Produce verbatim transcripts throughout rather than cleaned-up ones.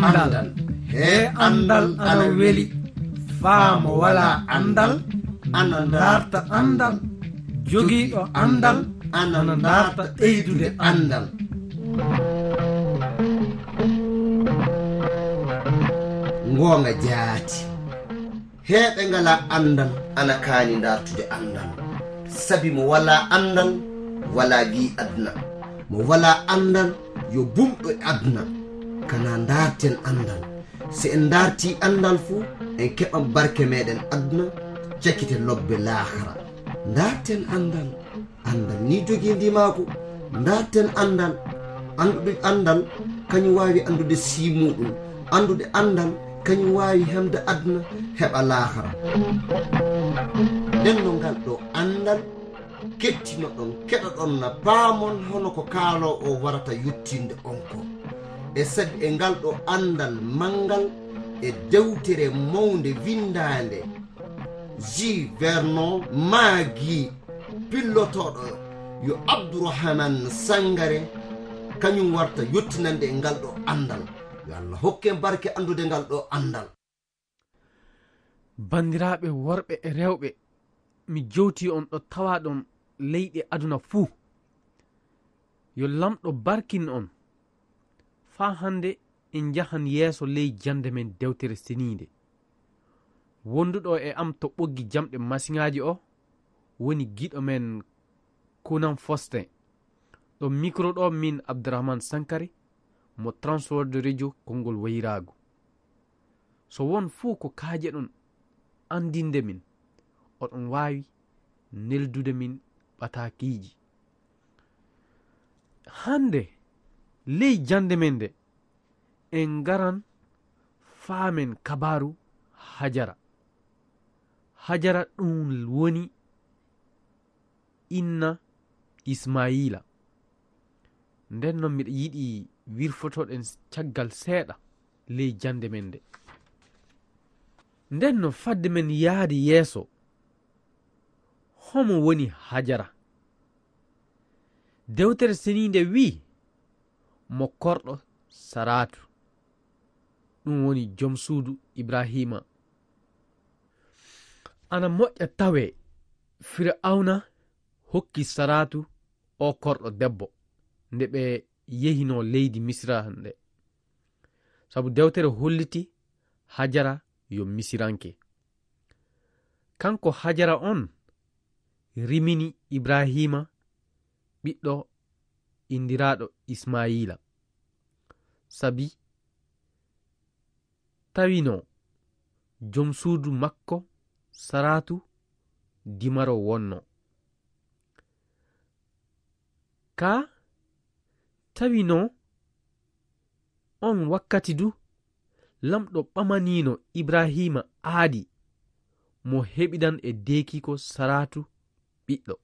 Anndal. He anndal ana weli. Faa mo walaa anndal ana ndaarta anndal. Jogiiɗo anndal ana ndaarta ɓeydude anndal. Ngoonga jaati. Heɓe ngalaa anndal ana kaani ndaartude anndal. Sabi mo walaa anndal, walaa gii aduna. Mo walaa anndal, yo bumɗo e aduna. Kana ndaarten anndal. Si en ndaartii anndal fuu, en keɓan barke meɗen aduna, cakite lobbe laakara. Ndaarten anndal. Anndal ni jogii ndimaagu. Ndaarten anndal. Anndude anndal, kañum waawi anndude sii muuɗum. Anndude anndal, kañum waawi hemde aduna, heɓa laakara. Nden no ngal ɗo anndal, kettinoɗon, keɗoɗon na paamon hono ko kaaloowo o warata yettinde on ko. E sabi e ngal ɗo anndal manngal e dewtere mawnde winndaande, J. Vernon Magee, pillotooɗo yo Abdourahmane Sangaré, kañum warta yottinande e ngal ɗo anndal. Yo Allah hokke en barke anndude ngal ɗo anndal. Banndiraaɓe worɓe e rewɓe, mi jowtii on ɗo tawaaɗon leyɗe aduna fuu. Yo Laamɗo barkin on. Faa hannde en njahan yeeso ley jannde men Dewtere Seniinde. Wonduɗo e am to ɓoggi jamɗe masiŋaaji o woni giɗo men Kunan Fosten. Ɗo mikro ɗo min Abdourahmane Sankari mo Transworld Radio konngol wayraagu. So won fuu ko kaajeɗon anndinde min, oɗon waawi neldude min ɓataakiiji. Hannde ley jannde men nde, en ngaran faamen kabaaru Hajara. Hajara ɗum woni inna Ismayiila. Nden non miɗa yiɗi wirfotoɗen caggal seeɗa ley jannde men nde. Nden no fadde men yaade yeeso, homo woni Hajara? Dewtere Seniinde wi'i, mo korɗo Saraatu, ɗum woni jom suudu Ibraahiima. Ana moƴƴa tawee Fir'awna hokki Saraatu oo korɗo debbo nde ɓe yehinoo leydi Misira nde. Sabu dewtere holliti Hajara yo Misiranke. Kanko Hajara on rimini Ibraahiima ɓiɗɗo inndiraaɗo Ismayiila. Sabi tawino jom suudu makko Saraatu dimaro wonno. Ka tawino on wakkati du, Lamɗo ɓamanino Ibraahiima aadi mo heɓidan e deekiiko Saraatu ɓiɗɗo.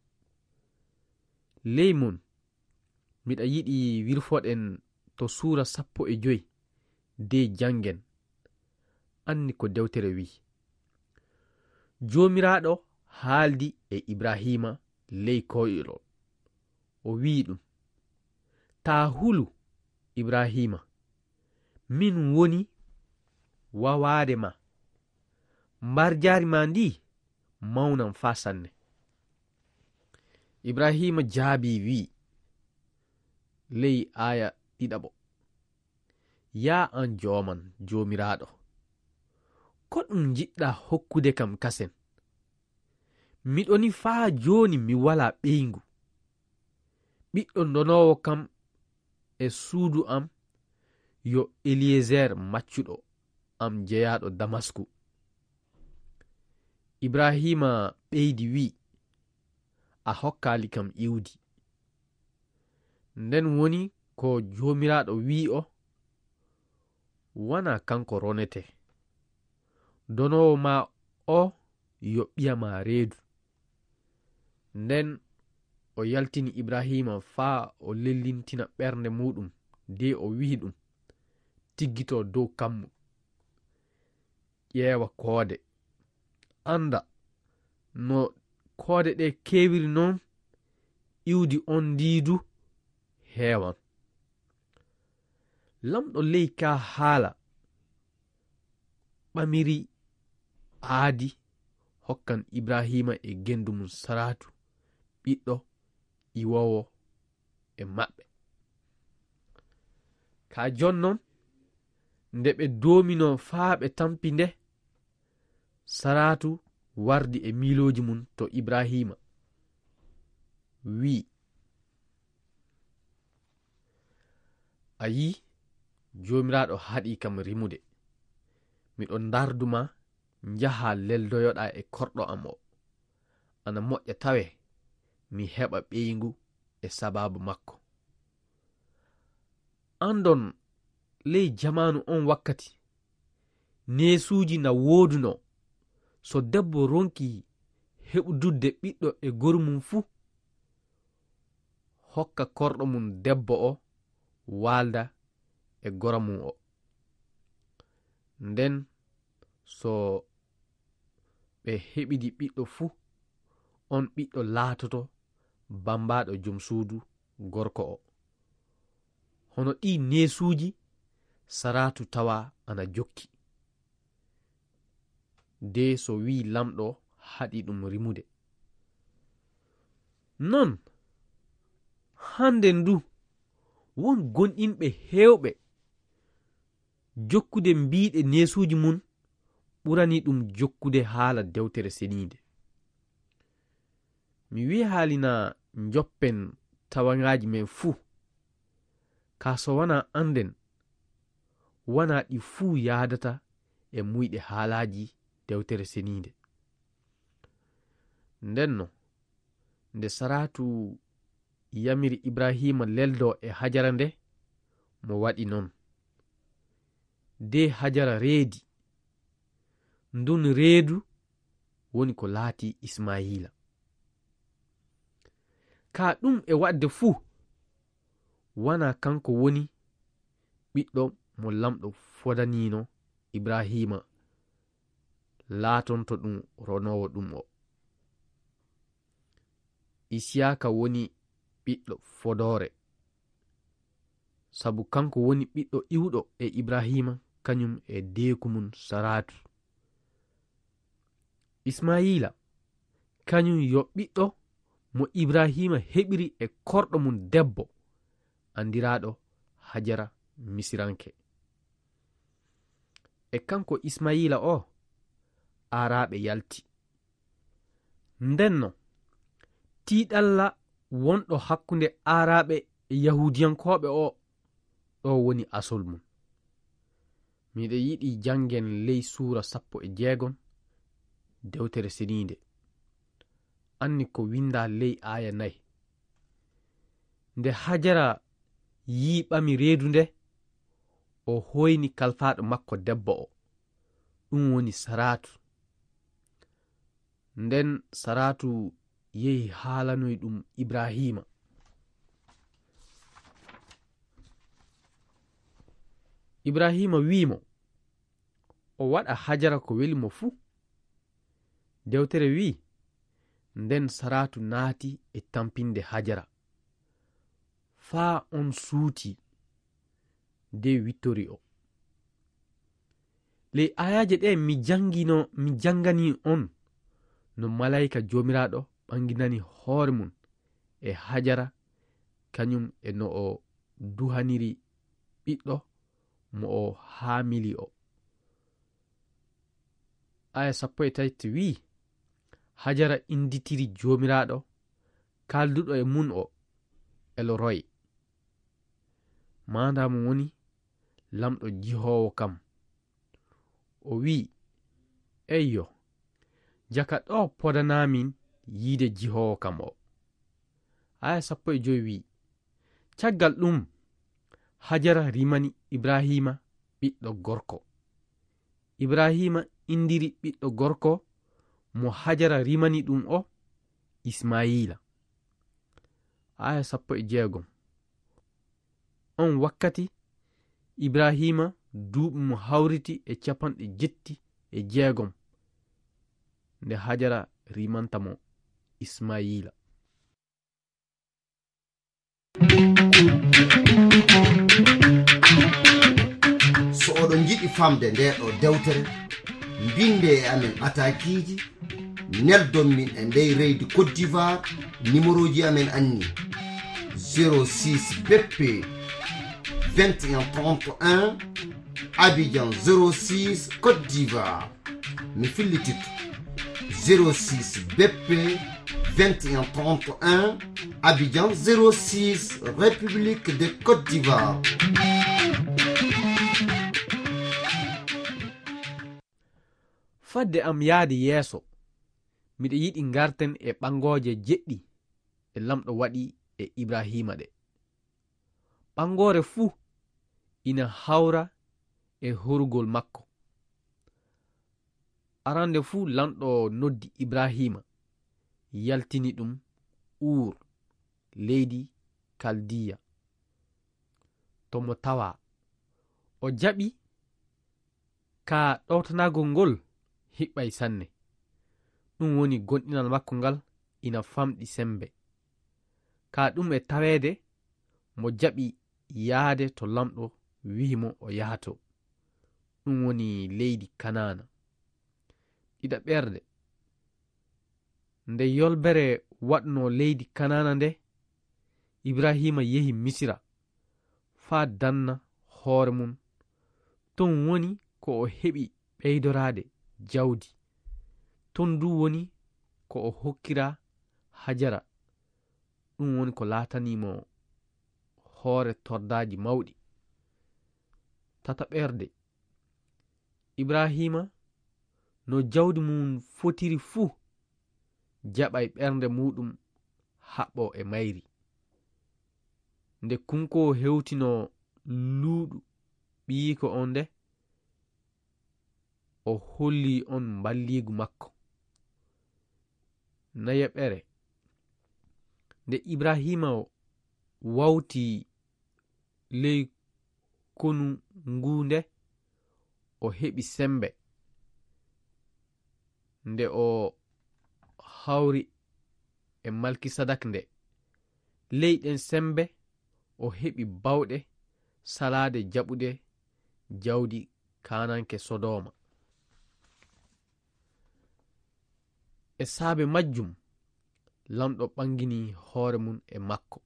Ley mun, miɗa yiɗi wirfoɗen to suura sappo e joy de janngen. Anni ko dewtere wi'i. Joomiraaɗo haaldi e Ibraahiima ley koyɗol. O wi'i ɗum, taa hulu, Ibraahiima, min woni wawaade ma. Mbarjaari ma ndi mawnan faa sanne. Ibraahiima jaabii wi'i, ley aaya ɗiɗaɓo, yaa an Jooman, Joomiraaɗo, ko ɗum njiɗɗaa hokkude kam kasen? Miɗo ni faa jooni mi walaa ɓeyngu. Ɓiɗɗo ndonoowo kam e suudu am yo Eliyezer maccuɗo am jeyaaɗo Damasku. Ibraahiima ɓeydi wi'i, a hokkaali kam iwdi. Nden woni ko Joomiraaɗo wi'i o, wanaa kanko ronetee. Donoowo maa o yo ɓiya maa reedu. Nden o yaltini Ibraahiima faa o lellintina ɓernde muuɗum, de o wi'i ɗum, tiggito dow kammu, ƴeewa koode. Annda no koode ɗe keewiri non, iwdi on ndi du heewan. Lamɗo ley kaa haala ɓamiri aadi hokkan Ibrahiima e genndu mum Saraatu ɓiɗɗo iwoowo e maɓɓe. Ka jon non, nde ɓe doominoo faa ɓe tampi nde, Saraatu wardi e miilooji mum to Ibrahiima, wi'i, "A yi'i, Joomiraaɗo haɗii kam rimude. Miɗo ndardu ma, njahaa leldoyoɗaa e korɗo am o. Ana moƴƴa tawee mi heɓa ɓeyngu e sabaabu makko." Andon, ley jamaanu on wakkati, neesuuji na woodunoo. So debbo ronki heɓududde ɓiɗɗo e goru mum fu, hokka korɗo mum debbo o waalda e gora mum o. Nden so ɓe heɓidi ɓiɗɗo fu, on ɓiɗɗo laatoto bambaaɗo jom suudu gorko o. Hono ɗii neesuuji Saraatu tawa ana jokki. De so wii Lamɗo haɗi ɗum rimude. Non, hande ndu, won gonɗinɓe heewɓe jokkude mbiiɗe neesuuji mum ɓurani ɗum jokkude haala Dewtere Seniinde. Mi wiyaali na njoppen tawangaaji men fuu, kaa so wanaa annden, wanaa ɗi fuu yaadata e muyɗe haalaaji Dewtere Seniinde. Ndenno, nde Saraatu yamiri Ibrahiima leldoo e Hajara nde, mo waɗi non. De Hajara reedi. Ndun reedu woni ko laatii Ismaayiila. Kaa ɗum e waɗde fuu, wanaa kanko woni ɓiɗɗo mo Lamɗo fodaniino Ibrahiima laatonto ɗum ronoowo ɗum o. Isiyaaka woni ɓiɗɗo fodoore, sabu kanko woni ɓiɗɗo iwɗo e Ibrahiima, kañum e deeku mum Saraatu. Ismaayiila, kañum yo ɓiɗɗo mo Ibrahiima heɓiri e korɗo mum debbo, anndiraaɗo Hajara Misiranke. E kanko Ismaayiila o, Aaraaɓe yalti. Ndenno, tiiɗalla wonɗo hakkunde Aaraaɓe e Yahuudiyankooɓe o, ɗo woni asol mum. Miɗo yiɗi janngen ley suura sappo e jeegom, Dewtere Seniinde. Anni ko winndaa ley aaya nay. Nde Hajara yii ɓami reedu nde, o hoyni kalfaaɗo makko debbo o, ɗum woni Saraatu. Nden Saraatu yehi haalanoy ɗum Ibrahiima. Ibrahiima wi'i mo, o waɗa Hajara ko weli mo fuu. Dewtere wi'i, nden Saraatu naati e tampinde Hajara, faa on suuti, de wittori o. Ley aayaaje ɗe mi janngino, mi janngani on, no malaayika Joomiraaɗo ɓanginani hoore mum e Hajara, kañum e no o duhaniri ɓiɗɗo mo o haamili o. Aaya sappo e tati wi'i, Hajara innditiri Joomiraaɗo, kaalduɗo e mum o, Elo Roy. Maandaa mum woni, Lamɗo jihoowo kam. O wi'i, eyyo, jaka ɗo podanaamin yiide jihoowo kam o. Aaya sappo e jowi wi'i, caggal ɗum, Hajara rimani Ibrahiima ɓiɗɗo gorko. Ibrahiima inndiri ɓiɗɗo gorko mo Hajara rimani ɗum o Ismaayiila. Aaya sappo e jeegom. On wakkati, Ibrahiima duuɓi mo hawriti e capanɗe jetti e jeegom, nde Hajara rimanta mo Ismaayiila. So oɗon njiɗi famde ndee ɗoo dewtere, Mbinde e amen atakiiji, neldon min e ndey reydi Côte d'Ivoire, numéroji amen anni: zéro six B P vingt et un trente et un, Abidjan zéro six, Côte d'Ivoire. Mi fillititto: zéro six B P vingt et un trente et un, Abidjan zéro six, République de Côte d'Ivoire. Fadde am yahde yeeso, miɗo yiɗi ngarten e ɓangooje jeɗɗi ɗe Laamɗo waɗi e Ibraahiima ɗe. Ɓangoore fuu ina hawra e horugol makko. Arande fuu, Laamɗo noddi Ibraahiima, yaltini ɗum Uur, leydi Kaldiya, to mo tawaa. O jaɓi, ka ɗowtanagol ngol hiɓɓay sanne. Ɗum woni gomɗinal makko ngal ina famɗi semmbe. Ka ɗum e taweede, mo jaɓi yahde to Laamɗo wi'i mo o yaha to, ɗum woni leydi Kanaana. Ɗiɗaɓerde, nde yolbere waɗnoo leydi Kanaana nde, Ibraahiima yehi Misira faa danna hoore mum. Ton woni ko o heɓi ɓeydoraade jawdi. Ton du woni ko o hokkira Hajara. Ɗum woni ko laatanii mo hoore tordaaji mawɗi. Tataɓerde, Ibraahiima, no jawdi mum fotiri fuu, jaɓay ɓernde muuɗum haɓɓo e mayri. Nde kunkoo hewtinoo luuɗu ɓiyiiko on nde, o hollii on mballiigu makko. Nayaɓere, nde Ibraahiima wawti ley konu nguu nde, o heɓi semmbe nde o hawri e Malkisadak nde. Ley ɗen semmbe o heɓi baawɗe salaade jaɓude jawdi kaananke Sodooma. E saabe majjum, Laamɗo ɓangini hoore mum e makko.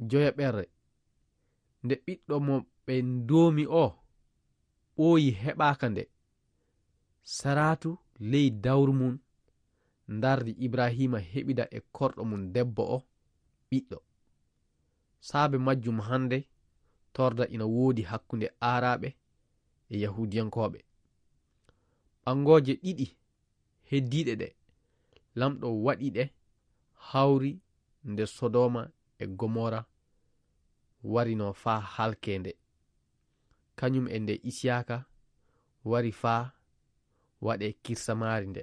Joyaɓere, nde ɓiɗɗo mo ɓe ndoomi o ɓooyi heɓaaka nde, Saraatu ley dawru mum ndardi Ibraahiima heɓida e korɗo mum debbo o ɓiɗɗo. Saabe majjum hannde torda ina woodi hakkunde Aaraaɓe e Yahuudiyankooɓe. Ɓangooje ɗiɗi heddiiɗe ɗe, Laamɗo waɗi ɗe hawri nde Sodooma e Gomora warinoo faa halkee nde, kañum e nde Isiyaaka wari faa waɗee kirsamaari nde.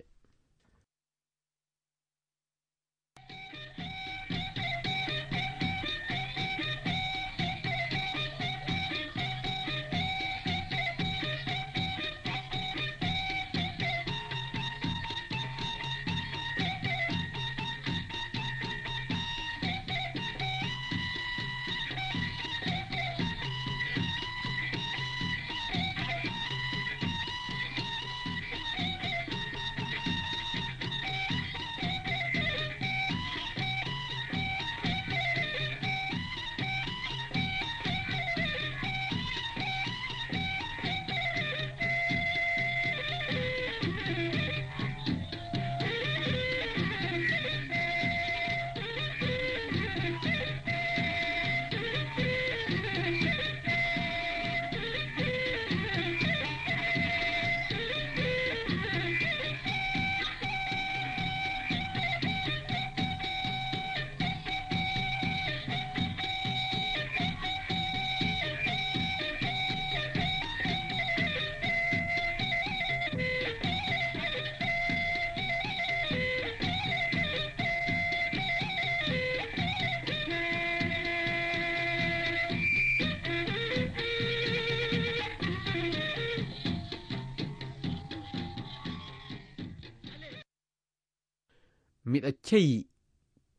Miɗa ceyi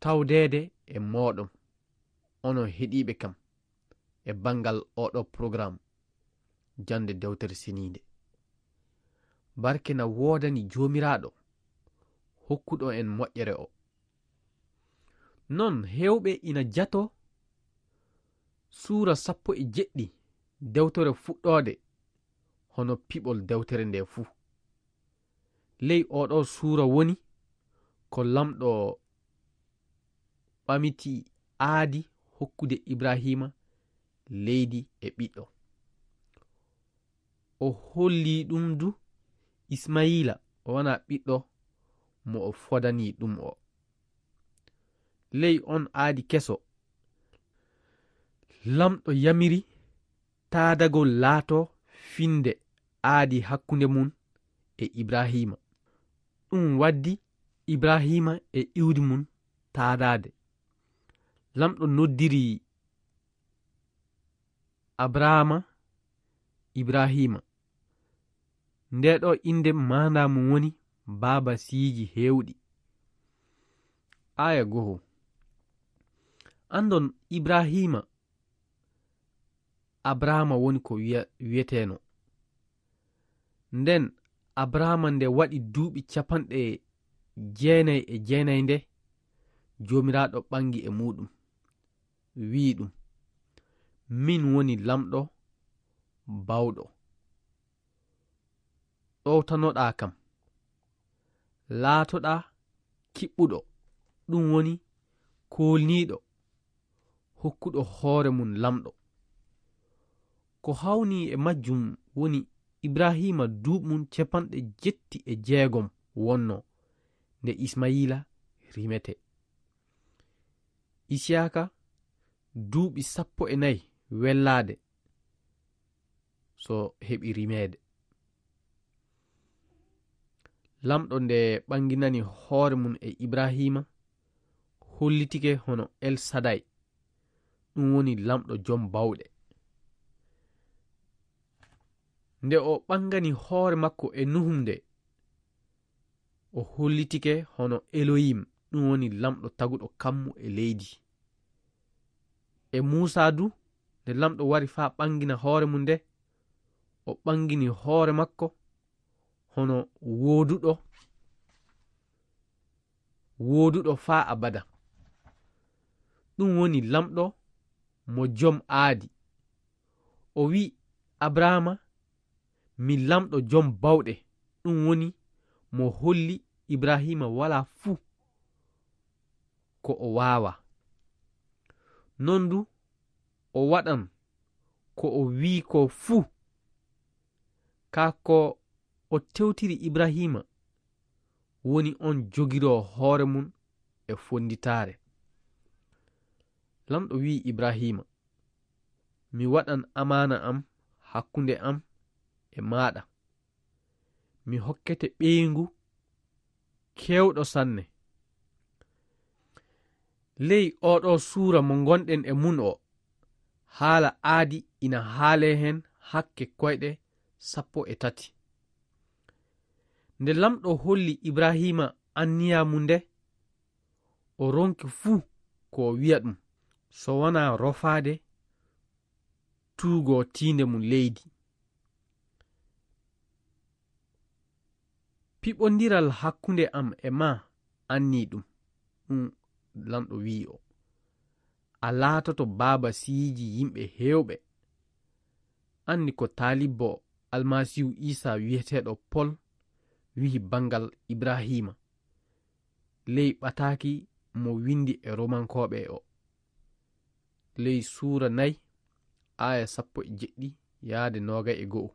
tawdeede e mooɗon, onon heɗiiɓe kam, e banngal ooɗo porogaram jannde Dewtere Seniinde. Barke na woodani Joomiraaɗo, hokkuɗo en moƴƴere o. Non heewɓe ina jato suura sappo e jeɗɗi dewtere Fuɗɗoode, hono piɓol dewtere nde fuu. Ley oɗo suura woni ko Laamɗo ɓamiti aadi hokkude Ibrahiima leydi e ɓiɗɗo. O holli ɗum du Ismayiila o wona ɓiɗɗo mo o fodani ɗum o. Ley on aadi keso, Laamɗo yamiri taadagol laato finnde aadi hakkunde mum e Ibrahiima. Ɗum waddi Ibrahiima e iwdi mum taadaade. Laamɗo noddiri Abrahaama Ibrahiima. Nde ɗo innde maandaa mum woni baaba siyiiji heewɗi. Aaya goho. Anndon Ibrahiima, Abrahaama woni ko wiya-, wiyeteeno. Nden Abrahaama nde waɗi duuɓi capanɗe jeenay e jeenay nde, Joomiraaɗo ɓangi e muuɗum, wi'i ɗum, "Min woni Laamɗo Baawɗo. Ɗowtanoɗaa kam. Laatoɗaa kiɓɓuɗo," ɗum woni koolniiɗo, hokkuɗo hoore mum Laamɗo. Ko hawni e majjum woni Ibrahiima duuɓi mum capanɗe jetti e jeegom wonno nde Ismayiila rimete. Isiyaaka duuɓi sappo e nayi wellaade so heɓi rimeede. Laamɗo nde ɓanginani hoore mum e Ibrahiima, hollitike hono El Sadai, ɗum woni Laamɗo jom bawɗe. Nde o ɓangani hoore makko e Nuhum nde, o hollitike hono Elohim, ɗum woni Laamɗo taguɗo kammu e leydi. E Muusaa du, nde Laamɗo wari faa ɓangina hoore mum nde, o ɓangini hoore makko hono wooduɗo, wooduɗo faa abada. Ɗum woni Laamɗo mo jom aadi. O wi'i Abrahaama, "Mi Laamɗo jom bawɗe." Ɗum woni mo holli Ibrahiima walaa fuu ko o waawaa. Non du o waɗan ko o wi'i ko fuu. Kaa ko o tewtiri Ibrahiima woni on jogiroo hoore mum e fonnditaare. Laamɗo wi'i Ibrahiima, "Mi waɗan amaana am hakkunde am e maaɗa. Mi hokkete ɓeyngu keewɗo sanne." Ley oɗo suura mo ngonɗen e mum o, haala aadi ina haalee heen hakke koyɗe sappo e tati. Nde Laamɗo holli Ibrahiima anniya mum nde, o ronki fuu ko o wi'a ɗum, so wonaa rofaade tuugoo tiinde mum leydi. "Piɓondiral hakkunde am e maa annii ɗum," ɗum Laamɗo wi'i o. "A laatoto baaba siyiiji yimɓe heewɓe." Anni ko taalibbo Almasiihu Iisaa wi'eteeɗo Pol wi'i banngal Ibrahiima, ley ɓataaki mo winndi e Romankooɓe o, ley suura nay, aaya sappo e jeɗɗi yaade noogay e go'o.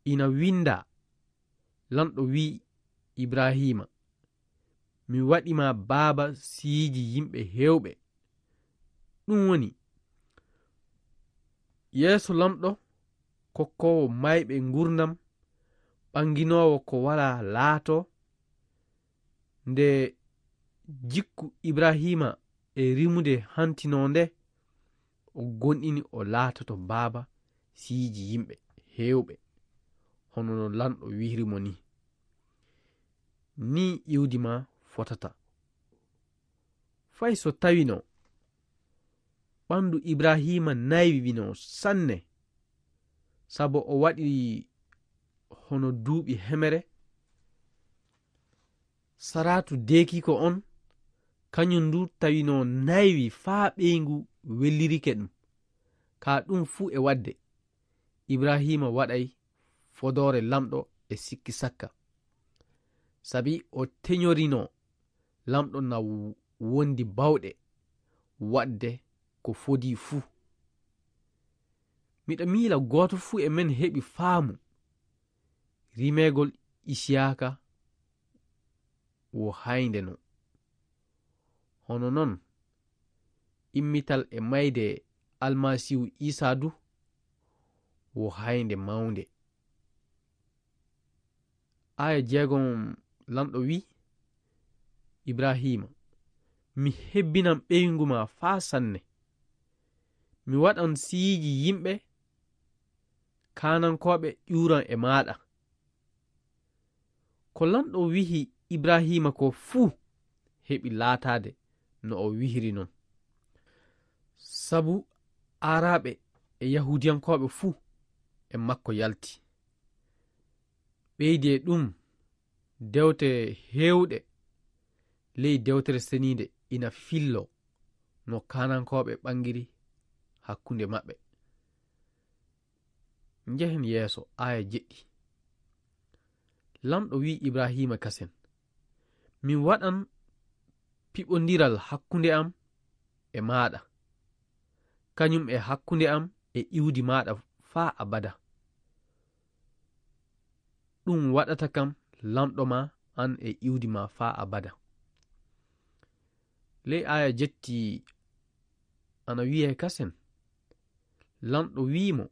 Ina winndaa, Laamɗo wi'i Ibrahiima, "Mi waɗi ma baaba siyiiji yimɓe heewɓe." Ɗum woni, yeeso Laamɗo kokkoowo maayɓe nguurndam, ɓanginoowo ko walaa laato, nde jikku Ibrahiima e rimude hantinoo nde, o gonɗini o laatoto baaba siyiiji yimɓe heewɓe, hono no Laamɗo wi'iri mo ni. Ni iwdi maa fotata. Fay so tawino ɓanndu Ibrahiima naywino sanne, sabo o waɗi hono duuɓi hemere. Saratu deekiiko on, kañum ndu tawino naywi faa ɓeyngu wellirike ɗum. Kaa ɗum fuu e waɗde, Ibrahiima waɗay fodoore Laamɗo e sikki sakka. Sabi o teñorino Laamɗo na wondi baawɗe waɗde ko fodii fuu. Miɗa miila gooto fuu e men heɓi faamu rimeegol Isiyaaka wo haaynde no. Hono non, immital e mayde Almasiihu Iisaa du wo haaynde mawnde. Aaya jeegom, Laamɗo wi'i Ibrahiima, "Mi hebbinan ɓeyngu maa faa sanne. Mi waɗan siyiiji yimɓe kaanankooɓe ƴuuran e maaɗa." Ko Laamɗo wi'i Ibrahiima ko fuu heɓi laataade no o wi'iri non. Sabu Aaraaɓe e Yahuudiyankooɓe fuu e makko yalti. Ɓeydi e ɗum, dewte heewɗe ley Dewtere Seniinde ina filloo no kaanankooɓe ɓangiri hakkunde maɓɓe. Njehen yeeso, aaya jeɗɗi. Laamɗo wi'i Ibrahiima kasen, "Mi waɗan piɓondiral hakkunde am e maaɗa, kañum e hakkunde am e iwdi maaɗa faa abada. Ɗum waɗata kam laamɗo maa, aan e iwdi maa faa abada." Ley aaya jeɗɗi ana wi'ee kasen, Laamɗo wi'i mo,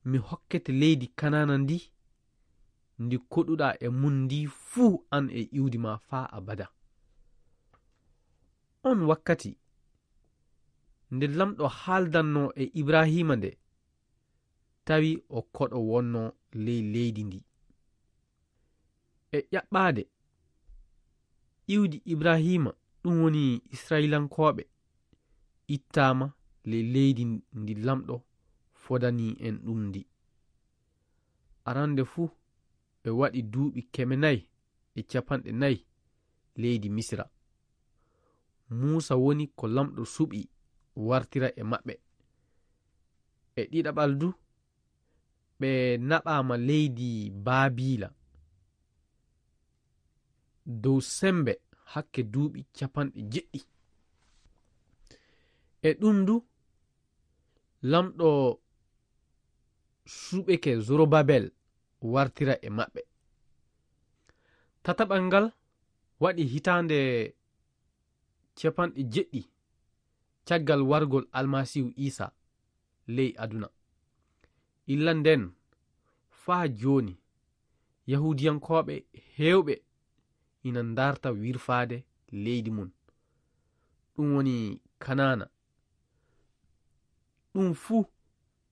"Mi hokkete leydi Kanaana ndi, ndi koɗuɗaa e mun ndi fuu, aan e iwdi maa faa abada." On wakkati, nde Laamɗo haaldannoo e Ibrahiima nde, tawi o koɗo wonnoo ley leydi ndi. E ƴaɓɓaade, iwdi Ibrahiima, ɗum woni Israayiilankooɓe, ittaama ley leydi ndi Laamɗo fodanii en ɗum ndi. Arande fuu, ɓe waɗi duuɓi keme nayi e capanɗe nayi leydi Misira. Muusa woni ko Laamɗo suɓi wartira e maɓɓe. E ɗiɗaɓal du, ɓe naɓaama leydi Baabiila dow semmbe hakke duuɓi capanɗe jeɗɗi. E ɗum du, Laamɗo suɓeke Zorobabel wartira e maɓɓe. Tataɓal ngal waɗi hitaande capanɗe jeɗɗi caggal wargol Almasiihu Iisaa ley aduna. Illa ndeen faa jooni, Yahuudiyankooɓe heewɓe ina ndarta wirfaade leydi mum, ɗum woni Kanaana. Ɗum fuu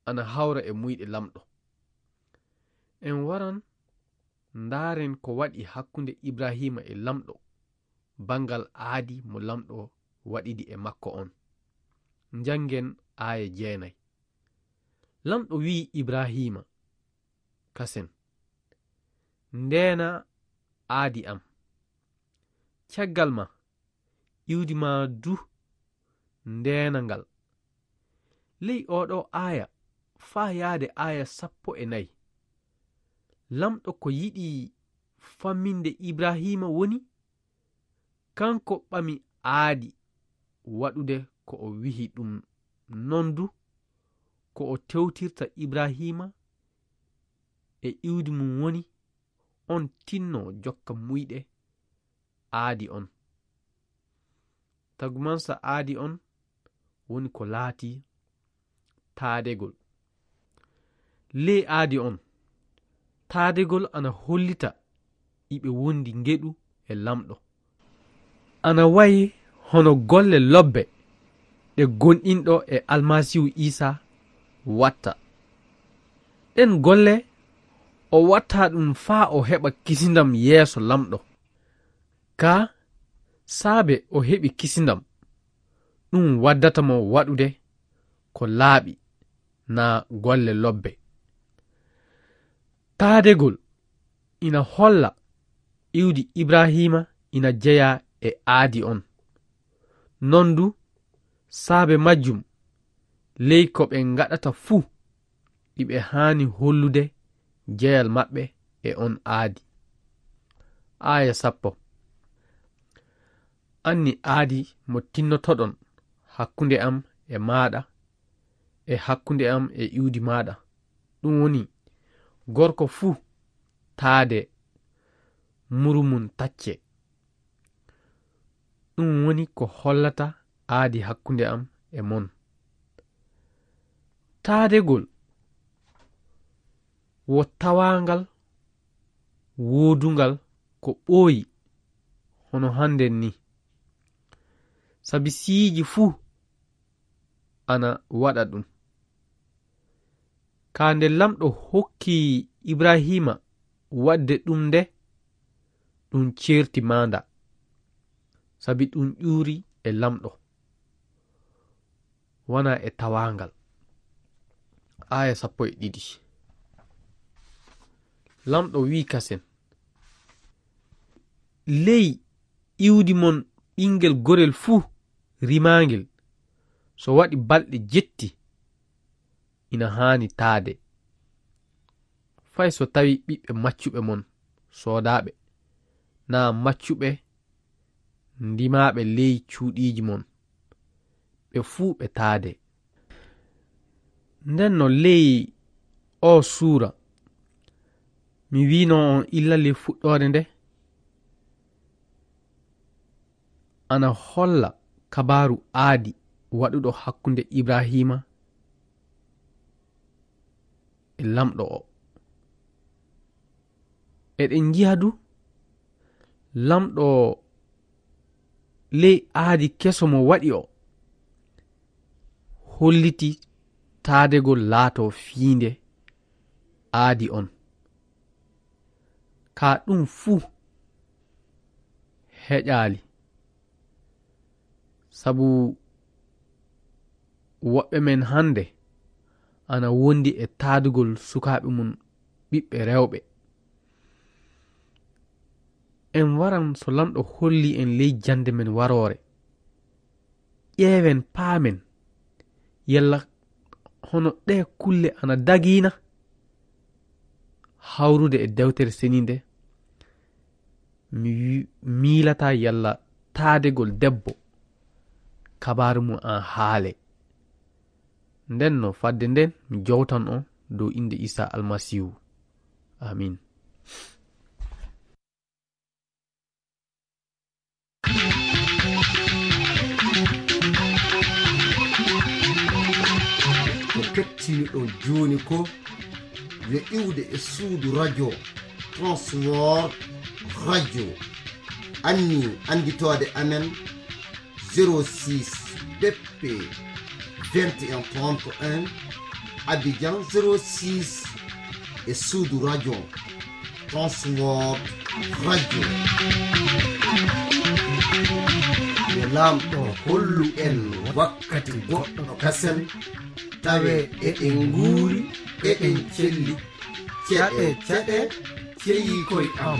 ana hawra e muyɗe Laamɗo. En waran ndaaren ko waɗi hakkunde Ibrahiima e Laamɗo, banngal aadi mo Laamɗo waɗidi e makko on. Njanngen aaya jeenay. Laamɗo wi'i Ibrahiima kasen, "Ndeena aadi am. Caggal ma, iwdi ma du ndeena ngal." Ley oo ɗoo aaya faa yaade aaya sappo e nayi, Laamɗo ko yiɗi famminde Ibrahiima woni, kanko ɓami aadi waɗude ko o wi'i ɗum non du, ko o tewtirta Ibrahiima e iwdi mum woni, on tinno jokka muyɗe aadi on. Tagumansa aadi on woni ko laati taadegol. Ley aadi on, taadegol ana hollita iɓe wondi ngeɗu e Laamɗo. Ana wayi hono golle lobbe ɗe gomɗinɗo e Almasiihu Iisaa watta. Ɗen golle o watta ɗum faa o heɓa kisindam yeeso Laamɗo. Kaa saabe o heɓi kisindam, ɗum waddata mo waɗude ko laaɓi naa golle lobbe. Taadegol ina holla iwdi Ibrahiima ina jeyaa e aadi on. Non du, saabe majjum, ley ko ɓe ngaɗata fuu, iɓe haani hollude jeyal maɓɓe e on aadi. Aaya sappo. Anni aadi mo tinnotoɗon hakkunde am e maaɗa, e hakkunde am e iwdi maaɗa, ɗum woni, gorko fuu taade muru mum tacce. Ɗum woni ko hollata aadi hakkunde am e mon. Taadegol wo tawaangal woodungal ko ɓooyi hono hannden ni. Sabi siiji fuu ana waɗa ɗum. Kaa nde Laamɗo hokki Ibrahiima waɗde ɗum nde, ɗum ceerti maanda, sabi ɗum ƴuuri e Laamɗo, wanaa e tawaangal. Aaya sappo e ɗiɗi. Laamɗo wi'i kasen, ley iwdi mon ɓinngel gorel fuu rimaangel, so waɗi balɗe jetti, ina haani taade. Fay so tawii ɓiɓɓe maccuɓe mon soodaaɓe, naa maccuɓe ndimaaɓe ley cuuɗiiji mon, ɓe fuu ɓe taade. Nden no ley oo suura, mi wi'no on illa ley fuɗɗoode nde, ana holla kabaaru aadi waɗuɗo hakkunde Ibrahiima e Laamɗo o. Eɗen njiya du, Laamɗo ley aadi keso mo waɗi o, holliti taadegol laatoo fiinde aadi on. Kaa ɗum fuu heƴaali. Sabu woɓɓe men hannde ana wondi e taadugol sukaaɓe mum ɓiɓɓe rewɓe. En waran so Laamɗo holli en ley jannde men waroore. Ƴeewen, paamen, yalla hono ɗee kulle ana dagina hawrude e Dewtere Seniinde. Mi wi-, miilataa yalla taadegol debbo kabaaru mum an haale. Nden no fadde nden mi jowtan on dow innde Iisaa Almasiihu. Aamiin. Ko kettiniɗon jooni ko yo iwde e suudu radio Transworld Radio. Anni annditoode amen zéro six B P vingt et un trente et un, Abidjan zéro six, e suudu radio Transworld Radio. Yo Laamɗo hollu en wakkati goɗɗo kasen, tawe eɗen nguuri, eɗen celli. Ceɗe, ceɗe, ceyii koy am.